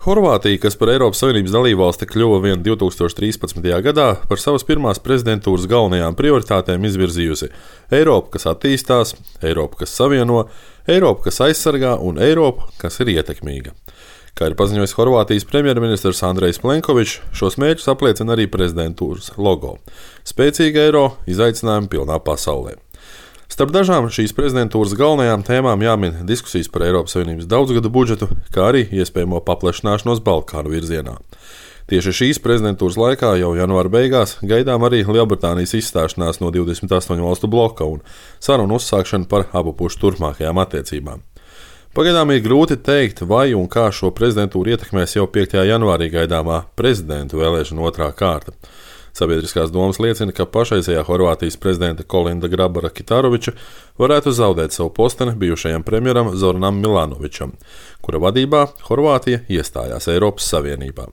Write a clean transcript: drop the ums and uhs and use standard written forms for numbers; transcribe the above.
Horvātija, kas par Eiropas Savienības dalībvalsti kļuva vien 2013. gadā, par savas pirmās prezidentūras galvenajām prioritātēm izvirzījusi Eiropu, kas attīstās, Eiropu, kas savieno, Eiropu, kas aizsargā un Eiropu, kas ir ietekmīga. Kā ir paziņojis Horvātijas premjerministrs Andrejs Plenkovičs, šos mērķus apliecina arī prezidentūras logo – spēcīga eiro, izaicinājumi pilnā pasaulē. Starp dažām šīs prezidentūras galvenajām tēmām jāmin diskusijas par Eiropas Savienības daudzgadu budžetu, kā arī iespējamo paplašināšanos Balkānu virzienā. Tieši šīs prezidentūras laikā, jau janvāra beigās, gaidām arī Lielbritānijas izstāšanās no 28 valstu bloka un sarunu uzsākšana par abu pušu turpmākajām attiecībām. Pagaidām ir grūti teikt, vai un kā šo prezidentūru ietekmēs jau 5. janvārī gaidāmā prezidentu vēlēšana otrā kārta. Sabiedriskās domas liecina, ka pašreizējā Horvātijas prezidenta Kolinda Grabara-Kitaroviča varētu zaudēt savu posteni bijušajam premjeram Zoranam Milanovičam, kura vadībā Horvātija iestājās Eiropas Savienībā.